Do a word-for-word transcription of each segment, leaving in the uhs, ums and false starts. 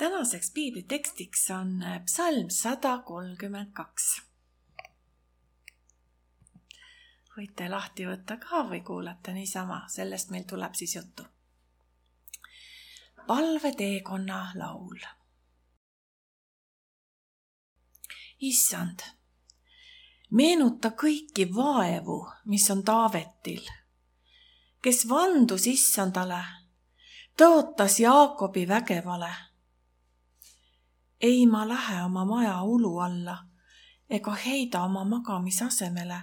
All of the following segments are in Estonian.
Tänaseks piiblitekstiks on psalm sada kolmkümmend kaks. Võite lahti võtta ka või kuulata niisama, sellest meil tuleb siis juttu. Palveteekonna laul. Issand, meenuta kõiki vaevu, mis on Taavetil, kes vandus Issandale, tõotas Jaakobi vägevale. Ei ma lähe oma maja ulu alla ega heida oma magamisasemele,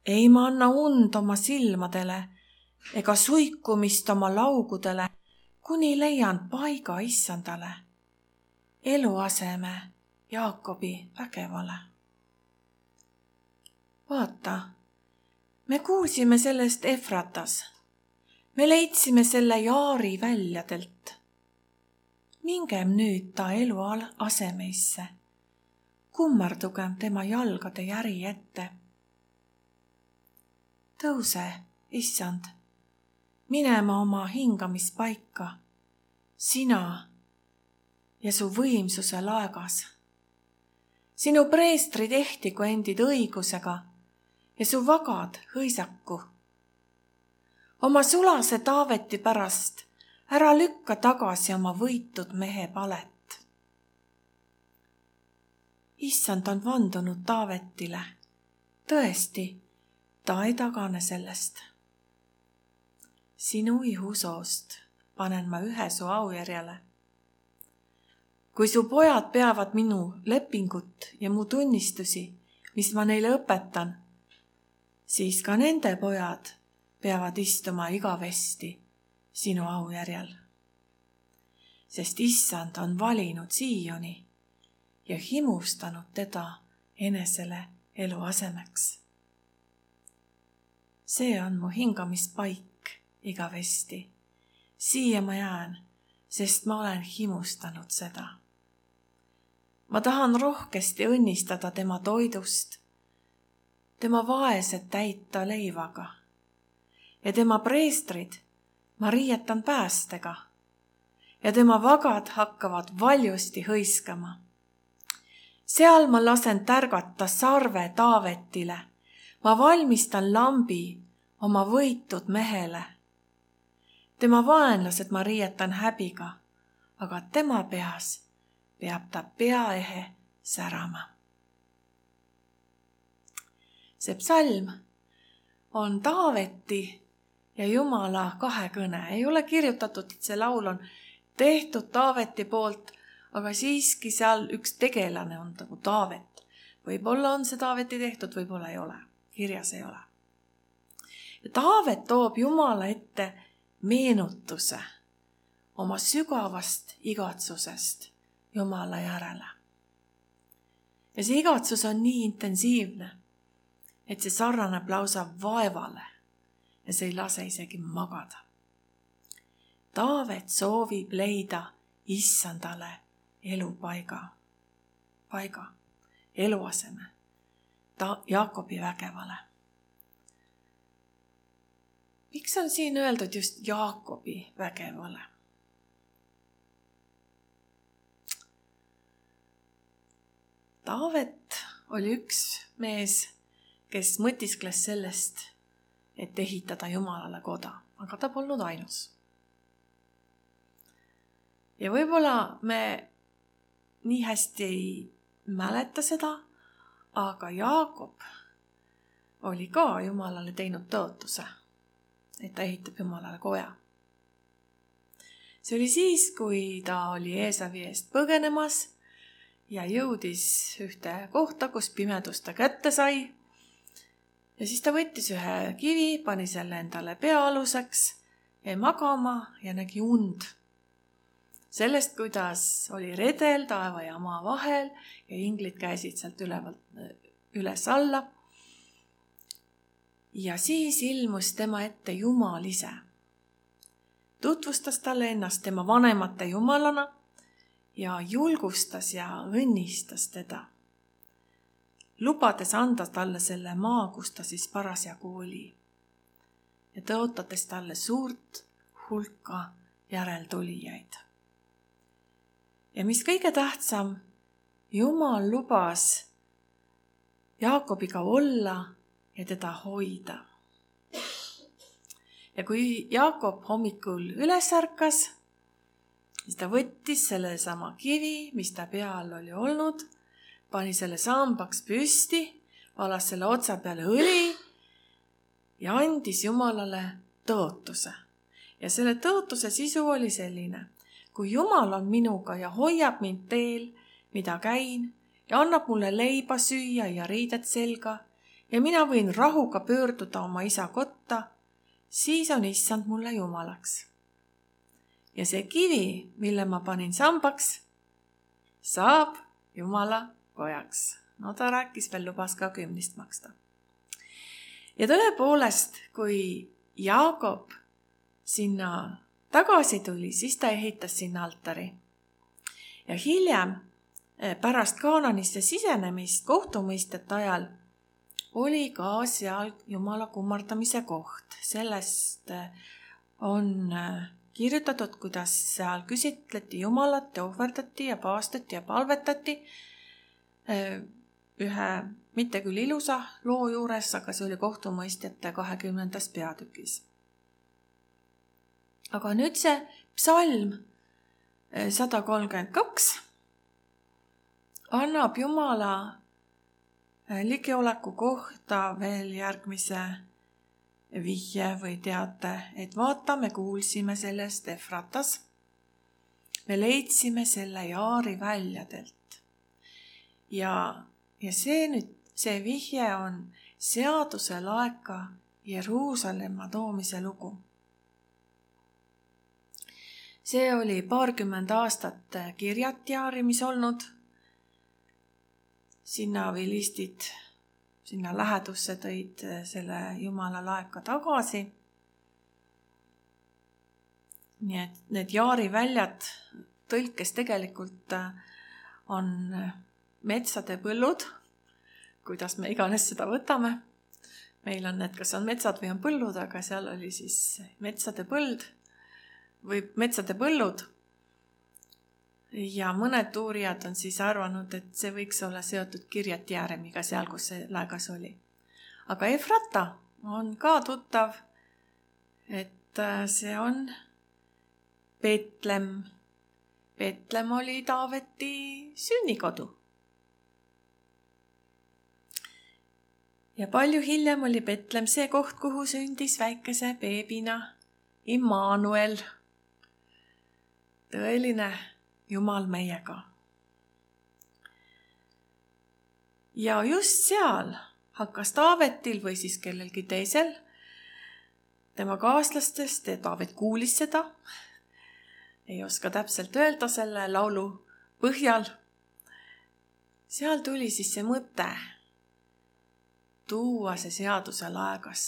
ei ma anna und oma silmadele ega suikumist oma laugudele, kuni leian paiga Issandale, eluaseme Jaakobi vägevale. Vaata, me kuulsime sellest Efratas, me leidsime selle Jaari väljadelt. Mingem nüüd ta elu asemeisse, kummardugem tema jalgade järi ette. Tõuse, Issand, minema oma hingamispaika, sina ja su võimsuse laegas. Sinu preestrid ehtigu endid õigusega ja su vagad hõisaku. Oma sulase Taaveti pärast ära lükka tagasi oma võitud mehe palet. Issand on vandunud Taavetile. Tõesti, ta ei tagane sellest. Sinu ihusoost panen ma ühe su aujärjele. Kui su pojad peavad minu lepingut ja mu tunnistusi, mis ma neile õpetan, siis ka nende pojad peavad istuma igavesti sinu aujärjel. Sest Issand on valinud Sioni ja himustanud teda enesele eluasemeks. See on mu hingamispaik igavesti. Siia ma jään, sest ma olen himustanud seda. Ma tahan rohkesti õnnistada tema toidust, tema vaesed täita leivaga ja tema preestrid ma riietan päästega ja tema vagad hakkavad valjusti hõiskama. Seal ma lasen tärgata sarve Taavetile, ma valmistan lambi oma võitud mehele. Tema vaenlased ma riietan häbiga, aga tema peas peab ta peaehe särama. See psalm on Taaveti ja Jumala kahekõne. Ei ole kirjutatud, et see laul on tehtud Taaveti poolt, aga siiski seal üks tegelane on nagu Taavet. Võib-olla on see Taaveti tehtud, võib-olla ei ole. Kirjas ei ole. Ja Taavet toob Jumala ette meenutuse oma sügavast igatsusest Jumala järele. Ja see igatsus on nii intensiivne, et see sarnaneb lausa vaevale ja see ei lase isegi magada. Taavet soovib leida Issandale elupaiga, paiga, eluaseme, ta Jaakobi vägevale. Miks on siin öeldud just Jaakobi vägevale? Taavet oli üks mees, kes mõtiskles sellest, et ehitada Jumalale koda, aga ta polnud ainus. Ja võib-olla me nii hästi ei mäleta seda, aga Jaakob oli ka Jumalale teinud tõotuse, et ta ehitab Jumalale koja. See oli siis, kui ta oli Eesavi eest põgenemas ja jõudis ühte kohta, kus pimedus ta kätte sai. Ja siis ta võttis ühe kivi, pani selle endale peaaluseks, jäi magama ja nägi und. Sellest, kuidas oli redel taeva ja maa vahel ja inglid käisid sealt üles alla. Ja siis ilmus tema ette Jumal ise. Tutvustas talle ennast tema vanemate Jumalana ja julgustas ja õnnistas teda, lubades anda talle selle maa, kus ta siis parasjagu oli ja tõotades talle suurt hulka järeltulijaid. Ja mis kõige tähtsam, Jumal lubas Jaakobiga olla ja teda hoida. Ja kui Jaakob hommikul üles ärkas, siis ta võttis selle sama kivi, mis ta peal oli olnud, pani selle sambaks püsti, valas selle otsa peale õli ja andis Jumalale tõotuse. Ja selle tõotuse sisu oli selline: kui Jumal on minuga ja hoiab mind teel, mida käin, ja annab mulle leiba süüa ja riided selga, ja mina võin rahuga pöörduda oma isa kotta, siis on issand mulle Jumalaks. Ja see kivi, mille ma panin sambaks, saab Jumala pojaks. No ta rääkis veel, lubas ka kümnist maksta. Ja tõepoolest, kui Jaakob sinna tagasi tuli, siis ta ehitas sinna altari. Ja hiljem, pärast Kaananisse sisenemist kohtumõistete ajal, oli ka seal Jumala kummardamise koht. Sellest on kirjutatud, kuidas seal küsitleti Jumalat ja ohverdati ja paastati ja palvetati ühe, mitte küll ilusa loo juures, aga see oli kohtumõistjate kahekümnendas peatükis. Aga nüüd see psalm sada kolmkümmend kaks annab Jumala ligioleku kohta veel järgmise vihje või teate, et vaata, me kuulsime sellest Efratas. Me leidsime selle Jaari väljadelt. Ja, ja see nüüd, see vihje on seaduse laeka Jeruusalemma toomise lugu. See oli paarkümmend aastat Kirjatjaarimis olnud. Sinna vilistid, sinna lähedusse tõid selle Jumala laeka tagasi. Nii et need Jaari väljad tõlkes tegelikult on metsade põllud, kuidas me iganes seda võtame. Meil on need, kas on metsad või on põllud, aga seal oli siis metsade põld või metsade põllud. Ja mõned uurijad on siis arvanud, et see võiks olla seotud Kirjatjaaremiga seal, kus see laegas oli. Aga Efrata on ka tuttav, et see on Betlem. Betlem oli Taaveti sünnikodu. Ja palju hiljem oli Betlem see koht, kuhu sündis väikese beebina Immanuel. Tõeline Jumal meiega. Ja just seal hakkas Taavetil või siis kellelgi teisel, tema kaaslastest, ja Taavet kuulis seda, ei oska täpselt öelda selle laulu põhjal. Seal tuli siis see mõte tuua see seaduse laegas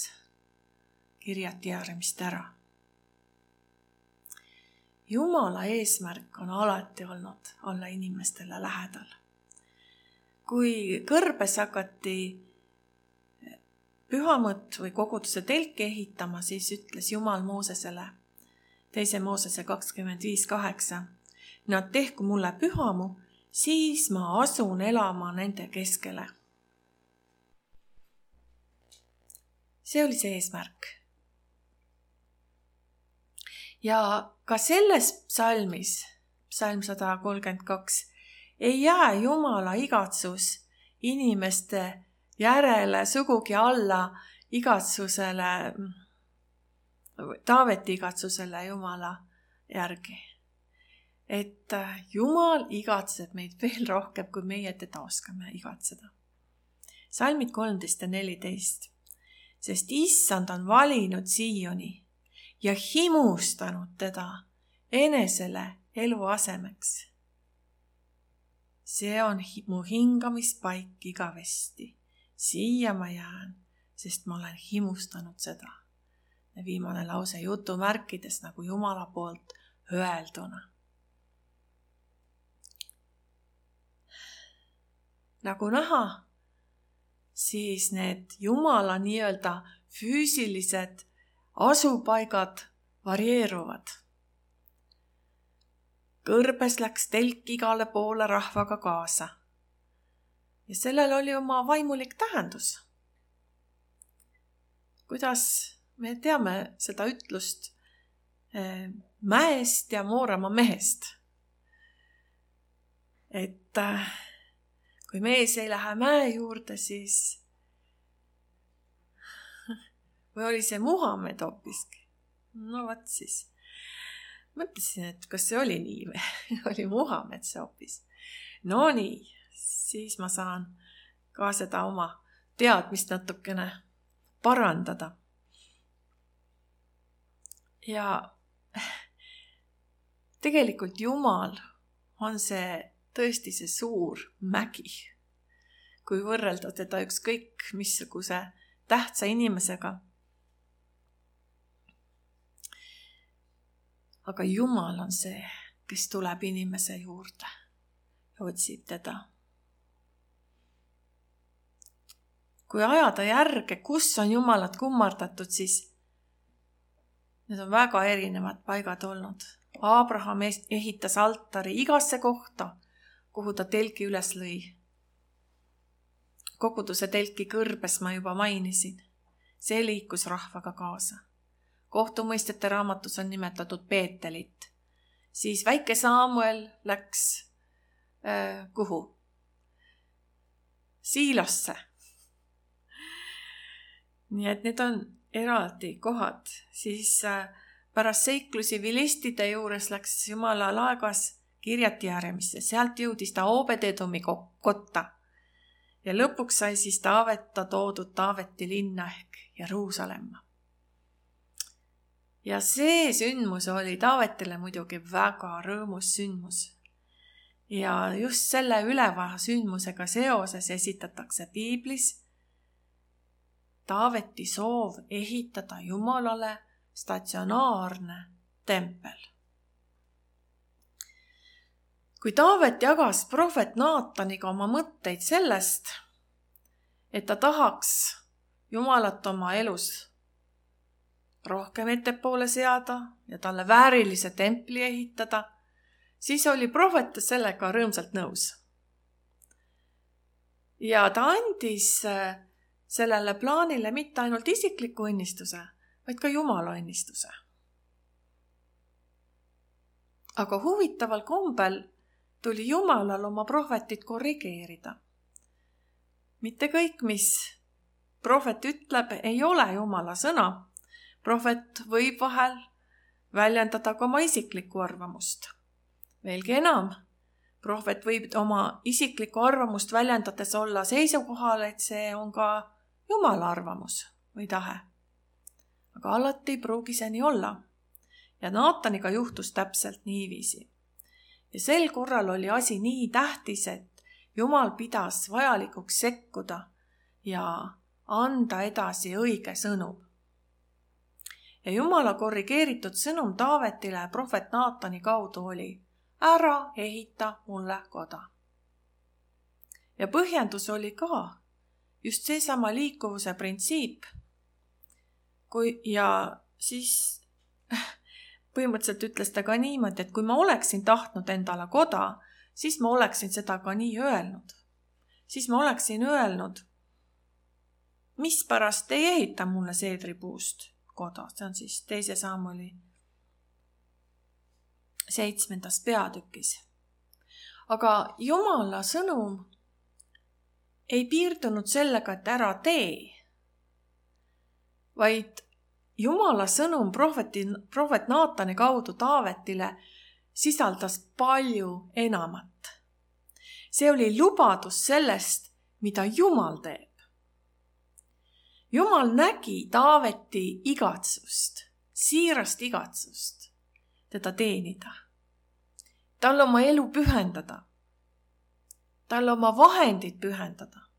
Kirjatjaarimist ära. Jumala eesmärk on alati olnud olla inimestele lähedal. Kui kõrbes hakati pühamõtt või koguduse telki ehitama, siis ütles Jumal Moosesele, teise Moosese kakskümmend viis kaheksa, nad tehku mulle pühamu, siis ma asun elama nende keskele. See oli see eesmärk. Ja ka selles psalmis, psalm sada kolmkümmend kaks, ei jää Jumala igatsus inimeste järele sugugi alla igatsusele, Taaveti igatsusele Jumala järgi. Et Jumal igatseb meid veel rohkem, kui meie teda oskame igatseda. Salmid kolmteist ja neliteist. Sest issand on valinud Sioni ja himustanud teda enesele eluasemeks. See on mu hingamispaik igavesti. Siia ma jään, sest ma olen himustanud seda. Ja viimane lause jutumärkides nagu Jumala poolt öelduna. Nagu näha, siis need Jumala nii-öelda füüsilised asupaigad varieeruvad. kõrbes läks telk igale poole rahvaga kaasa. Ja sellel oli oma vaimulik tähendus. Kuidas me teame seda ütlust mäest ja Mooramaa mehest? Et kui mees ei lähe mäe juurde, siis või oli see Muhamed hoopiski? No võt siis. Mõtlesin, et kas see oli nii või oli Muhamed see hoopis. No nii, siis ma saan ka seda oma teadmist natukene parandada. Ja tegelikult Jumal on see tõesti see suur mägi, kui võrrelda teda ükskõik missuguse tähtsa inimesega. Aga Jumal on see, kes tuleb inimese juurde ja otsib teda. Kui ajada järge, kus on Jumalat kummardatud, siis need on väga erinevad paigad olnud. Abraham ehitas altari igasse kohta, kuhu ta telki üles lõi. Koguduse telki kõrbes ma juba mainisin. See liikus rahvaga kaasa. Kohtumõistete raamatus on nimetatud Peetelit. Siis väike Saamuel läks äh, kuhu? Siilosse. Nii et need on eraldi kohad. Siis äh, pärast seiklusi vilistide juures läks Jumala laegas Kirjati Järemisse. Sealt jõudis ta Oobed-Edomi kotta. Ja lõpuks sai siis Taaveta toodud Taaveti linna ehk Jeruusalemma. Ja see sündmus oli Taavetile muidugi väga rõõmus sündmus. Ja just selle ülevaha sündmusega seoses esitatakse Piiblis Taaveti soov ehitada Jumalale statsionaarne tempel. Kui Taavet jagas prohvet Naataniga oma mõtteid sellest, et ta tahaks Jumalat oma elus rohkem ettepoole seada ja talle väärilise templi ehitada, siis oli prohvet sellega rõõmsalt nõus. Ja ta andis sellele plaanile mitte ainult isikliku õnnistuse, vaid ka Jumala õnnistuse. Aga huvitaval kombel tuli Jumalal oma prohvetit korrigeerida. Mitte kõik, mis prohvet ütleb, ei ole Jumala sõna. Prohvet võib vahel väljendada ka oma isiklikku arvamust. Veelgi enam, prohvet võib oma isiklikku arvamust väljendades olla seisukohal, et see on ka Jumala arvamus või tahe. Aga alati ei pruugi see nii olla. Ja Naataniga juhtus täpselt niiviisi. Ja sel korral oli asi nii tähtis, et Jumal pidas vajalikuks sekkuda ja anda edasi õige sõnum. Ja Jumala korrigeeritud sõnum Taavetile prohvet Naatani kaudu oli: ära ehita mulle koda. Ja põhjendus oli ka just seesama liikuvuse printsiip. Kui, ja siis põhimõtteliselt ütles ta ka niimoodi, et kui ma oleksin tahtnud endale koda, siis ma oleksin seda ka nii öelnud. Siis ma oleksin öelnud, mis pärast ei ehita mulle seedripuust koda. See on siis teise Saamueli seitsmendas peatükis. Aga Jumala sõnum ei piirdunud sellega, et ära tee, vaid Jumala sõnum prohveti, prohvet Naatani kaudu Taavetile sisaldas palju enamat. See oli lubadus sellest, mida Jumal teeb. Jumal nägi Taaveti igatsust, siirast igatsust teda teenida. Talle oma elu pühendada. Talle oma vahendid pühendada.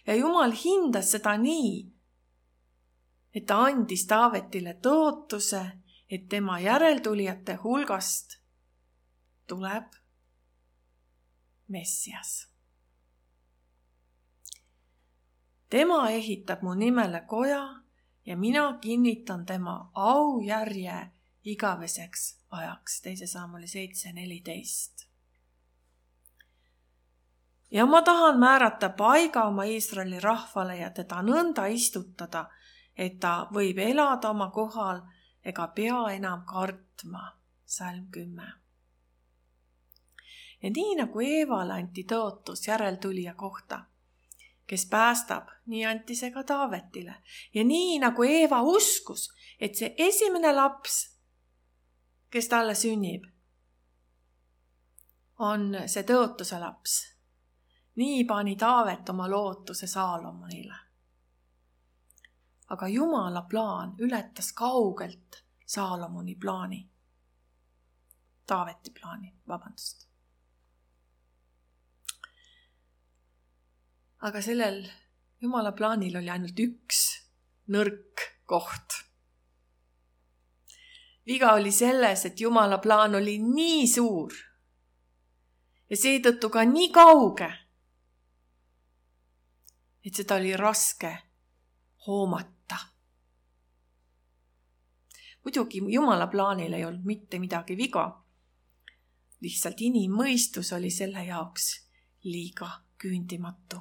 Ja Jumal hindas seda nii, et ta andis Taavetile tõotuse, et tema järeltulijate hulgast tuleb Messias. Tema ehitab mu nimele koja ja mina kinnitan tema aujärje igaveseks ajaks. Teise Saamuli seitse neliteist. Ja ma tahan määrata paiga oma Iisraeli rahvale ja teda nõnda istutada, et ta võib elada oma kohal ega pea enam kartma. Salm kümme. Ja nii nagu Eevale anti tõotus järeltulija kohta, kes päästab, nii anti see ka Taavetile. Ja nii nagu Eeva uskus, et see esimene laps, kes talle sünnib, on see tõotuse laps. Nii pani Taavet oma lootuse Saalomonile. Aga Jumala plaan ületas kaugelt Saalomoni plaani. Taaveti plaani, vabandust. Aga sellel Jumala plaanil oli ainult üks nõrk koht. Viga oli selles, et Jumala plaan oli nii suur ja seetõttu ka nii kauge, et seda oli raske hoomata. Muidugi Jumala plaanil ei olnud mitte midagi viga. Lihtsalt inimmõistus oli selle jaoks liiga küündimatu.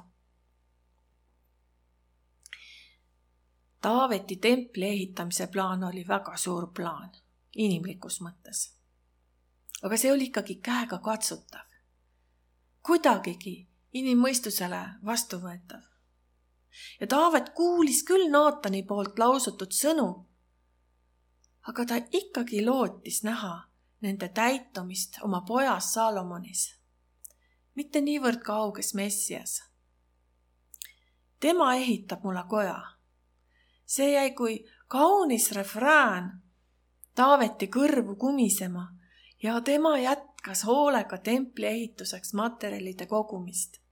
Taaveti templi ehitamise plaan oli väga suur plaan, inimlikus mõttes. Aga see oli ikkagi käega katsutav. Kuidagigi inimmõistusele vastuvõetav. Ja Taavet kuulis küll Naatani poolt lausutud sõnu, aga ta ikkagi lootis näha nende täitumist oma pojas Saalomonis. Mitte niivõrd kauges Messias. Tema ehitab mulle koja. See jäi kui kaunis refrään Taaveti kõrvu kumisema ja tema jätkas hoolega templi ehituseks materjalide kogumist.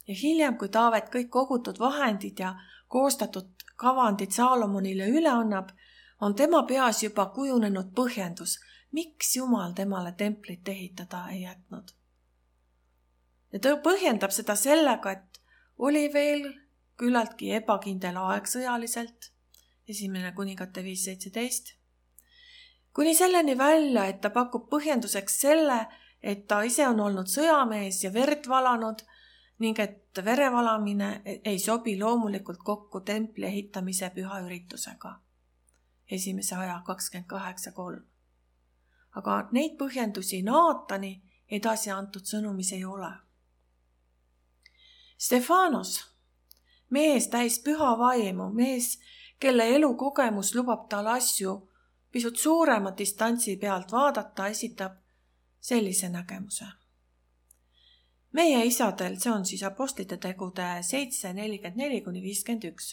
Ja hiljem, kui Taavet kõik kogutud vahendid ja koostatud kavandid Saalomonile üle annab, on tema peas juba kujunenud põhjendus, miks Jumal temale templit ehitada ei jätnud. Ja ta põhjendab seda sellega, et oli veel küllaltki ebakindel aeg sõjaliselt, esimene kuningate viis seitseteist, kuni selleni välja, et ta pakub põhjenduseks selle, et ta ise on olnud sõjamees ja verd valanud ning et verevalamine ei sobi loomulikult kokku templi ehitamise püha üritusega. Esimese aja kakskümmend kaheksa kolm. Aga neid põhjendusi Naatani edasi antud sõnumis ei ole. Stefanos, mees täis püha vaimu, mees, kelle elukogemus lubab tal asju pisut suurema distantsi pealt vaadata, esitab sellise nägemuse. Meie isadel, see on siis apostlite tegude seitse nelikümmend neli kuni viiskümmend üks.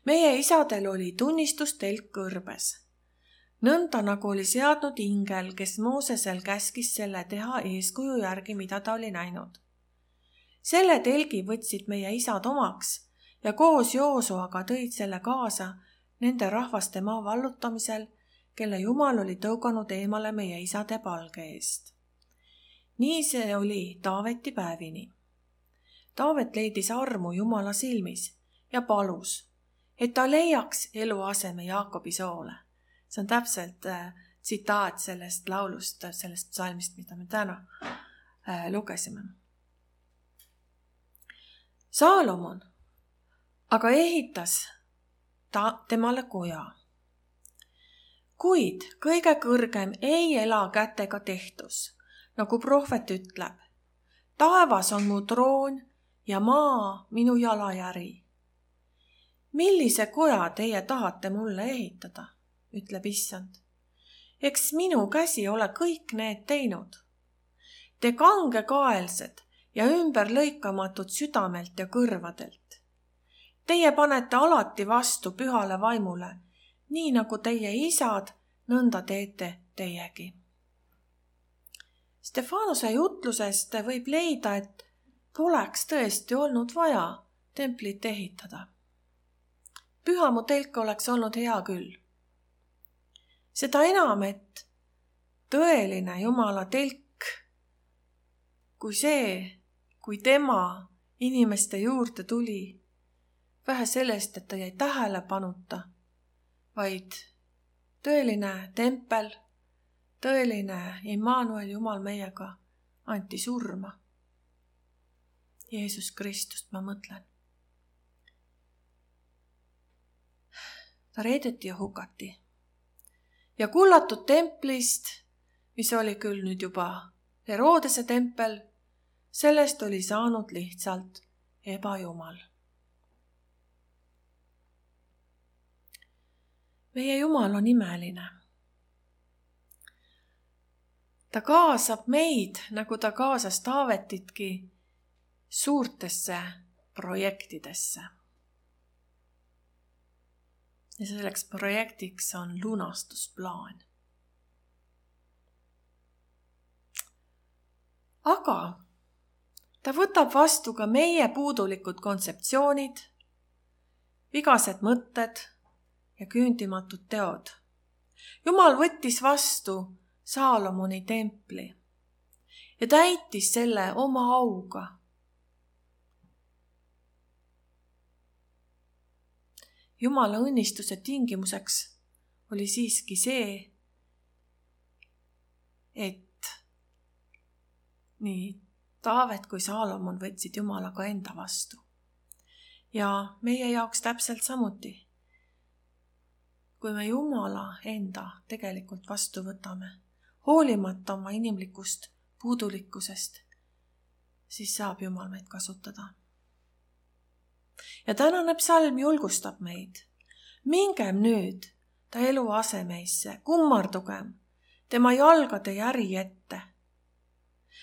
Meie isadel oli tunnistustelk kõrbes. Nõnda nagu oli seadnud ingel, kes Moosesel käskis selle teha eeskuju järgi, mida ta oli näinud. Selle telgi võtsid meie isad omaks ja koos Joosuaga tõid selle kaasa nende rahvaste maa vallutamisel, kelle Jumal oli tõuganud eemale meie isade palge eest. Nii see oli Taaveti päevini. Taavet leidis armu Jumala silmis ja palus, et ta leiaks eluaseme Jaakobi soole. See on täpselt äh, tsitaat sellest laulust, sellest psalmist, mida me täna äh, lugesime. Saalomon aga ehitas ta temale koja. Kuid kõige kõrgem ei ela kätega tehtus, nagu prohvet ütleb. Taevas on mu troon ja maa minu jalajäri. Millise koja teie tahate mulle ehitada, ütleb issand. Eks minu käsi ole kõik need teinud. Te kangekaelsed ja ümberlõikamatud südamelt ja kõrvadelt. Teie panete alati vastu pühale vaimule, nii nagu teie isad, nõnda teete teiegi. Stefanose jutlusest võib leida, et poleks tõesti olnud vaja templit ehitada. Pühamu telk oleks olnud hea küll. Seda enam, et tõeline Jumala telk, kui see, kui tema inimeste juurde tuli, vähe sellest, et ta jäi tähelepanuta, vaid tõeline tempel, tõeline Immanuel, Jumal meiega, anti surma. Jeesus Kristust ma mõtlen. Ta reedeti ja hukati. Ja kullatud templist, mis oli küll nüüd juba Herodese tempel, sellest oli saanud lihtsalt ebajumal. Meie Jumal on imeline. Ta kaasab meid, nagu ta kaasas Taavetitki, suurtesse projektidesse. Ja selleks projektiks on lunastusplaan. Aga ta võtab vastu ka meie puudulikud kontseptsioonid, vigased mõtted ja küündimatud teod. Jumal võttis vastu Saalomoni templi ja täitis selle oma auga. Jumala õnnistuse tingimuseks oli siiski see, et nii Taavet kui Saalomon võtsid Jumalaga enda vastu. Ja meie jaoks täpselt samuti. Kui me Jumala enda tegelikult vastu võtame, hoolimata oma inimlikust puudulikkusest, siis saab Jumal meid kasutada. Ja tänane psalm julgustab meid. Mingem nüüd ta elu asemeisse, kummardugem tema jalgade järi ette.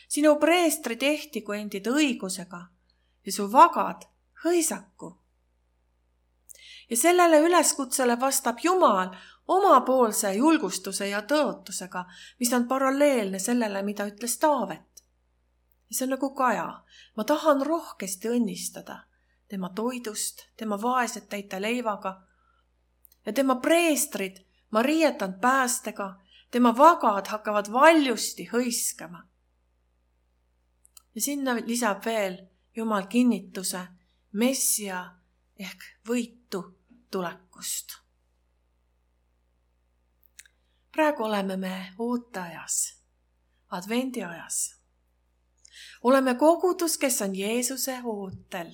Sinu preestri tehti kui endid õigusega ja su vagad hõisaku. Ja sellele üleskutsele vastab Jumal omapoolse julgustuse ja tõotusega, mis on paralleelne sellele, mida ütles Taavet. Ja see on nagu Kaja. Ma tahan rohkesti õnnistada tema toidust, tema vaesed täita leivaga ja tema preestrid ma riietan päästega, tema vagad hakkavad valjusti hõiskama. Ja sinna lisab veel Jumal kinnituse messia ehk võitu tulekust. Praegu oleme me ooteajas, advendiajas. Oleme kogudus, kes on Jeesuse ootel,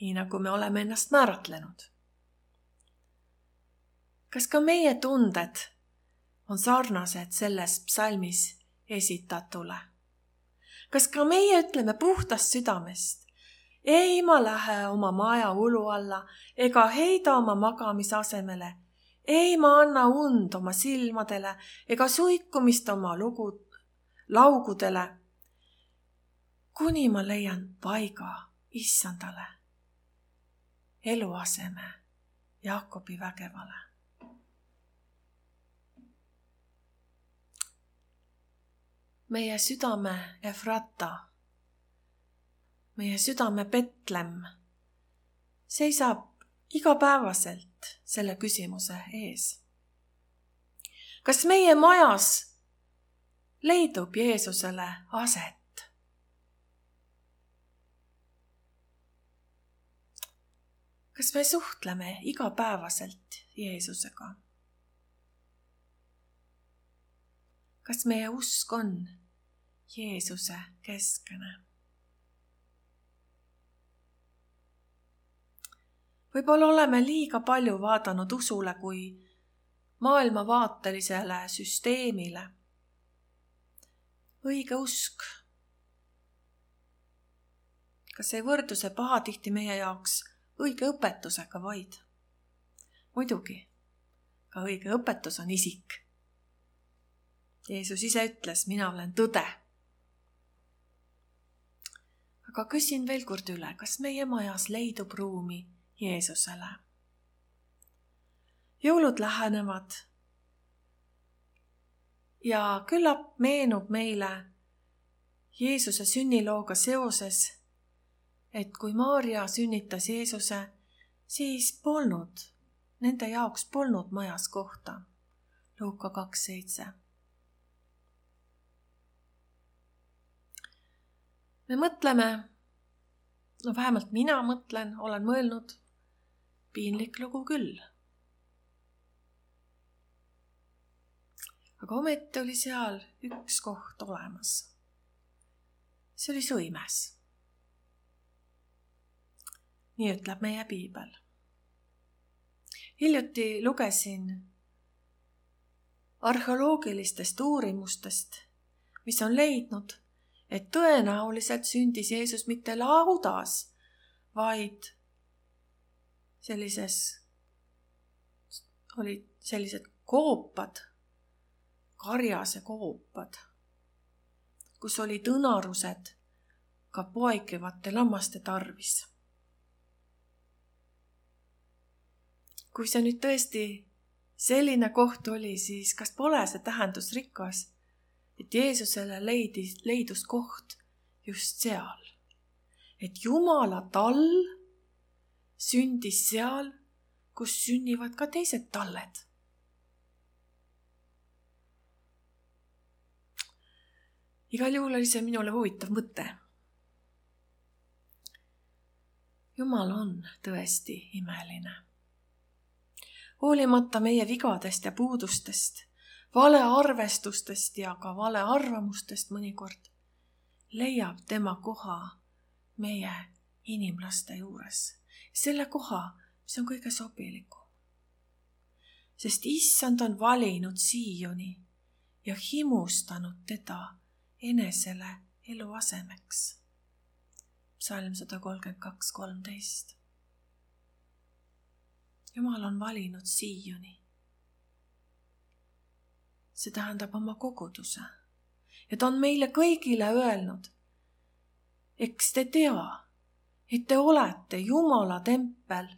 nii nagu me oleme ennast määratlenud. Kas ka meie tunded on sarnased selles psalmis esitatule? Kas ka meie ütleme puhtast südamest? Ei, ma lähe oma maja ulu alla ega heida oma magamisasemele. Ei, ma anna und oma silmadele ega suikumist oma lugu, laugudele, kuni ma leian paiga issandale, eluaseme Jaakobi vägevale. Meie südame Efrata, meie südame Betlem seisab igapäevaselt selle küsimuse ees. Kas meie majas leidub Jeesusele aset? Kas me suhtleme igapäevaselt Jeesusega? Kas meie usk on Jeesuse keskene? Võib-olla oleme liiga palju vaadanud usule kui maailmavaatelisele süsteemile. Õige usk. Kas ei võrdu see pahatihti meie jaoks õige õpetusega vaid? Muidugi, ka õige õpetus on isik. Jeesus ise ütles, mina olen tõde. Aga küsin veel kord üle, kas meie majas leidub ruumi Jeesusele? Jõulud lähenevad ja küllap meenub meile Jeesuse sünnilooga seoses, et kui Maarja sünnitas Jeesuse, siis polnud, nende jaoks polnud majas kohta. Luuka kaks seitse. Me mõtleme, no vähemalt mina mõtlen, olen mõelnud, piinlik lugu küll. aga ometi oli seal üks koht olemas. See oli sõimes. Nii ütleb meie piibel. Hiljuti lugesin arheoloogilistest uurimustest, mis on leidnud, et tõenäoliselt sündis Jeesus mitte laudas, vaid sellises, olid sellised koopad, karjase koopad, kus olid õnarused ka poegivate lammaste tarvis. Kui see nüüd tõesti selline koht oli, siis kas pole see tähendus rikas, et Jeesusele leidis, leidus koht just seal. Et Jumala tall sündis seal, kus sünnivad ka teised talled. Igal juhul oli see minule huvitav mõte. Jumal on tõesti imeline. Hoolimata meie vigadest ja puudustest, vale arvestustest ja ka vale arvamustest mõnikord, leiab tema koha meie inimlaste juures. Selle koha, mis on kõige sobilikum. Sest Issand on valinud Sioni ja himustanud teda enesele eluasemeks. Psalm sada kolmkümmend kaks kolmteist. Jumal on valinud Sioni. See tähendab oma koguduse. Ja ta on meile kõigile öelnud, eks te tea, et te olete Jumala tempel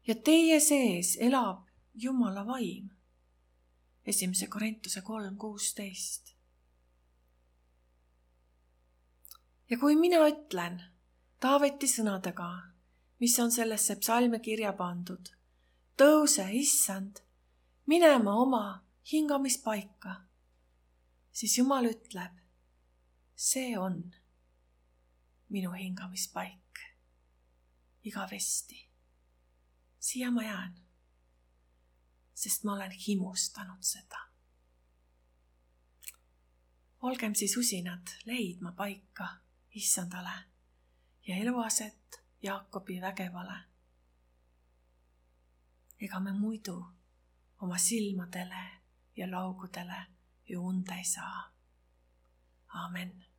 ja teie sees elab Jumala vaim. Esimese Korintuse kolm kuusteist. Ja kui mina ütlen Taaveti sõnadega, mis on sellesse psalmi kirja pandud, tõuse, Issand, minema oma hingamispaika, siis Jumal ütleb, see on minu hingamispaik igavesti. Siia ma jään, sest ma olen himustanud seda. Olgem siis usinad leidma paika Issandale ja eluaset Jaakobi vägevale. Ega me muidu oma silmadele ja laugudele ju und ei saa. Aamen.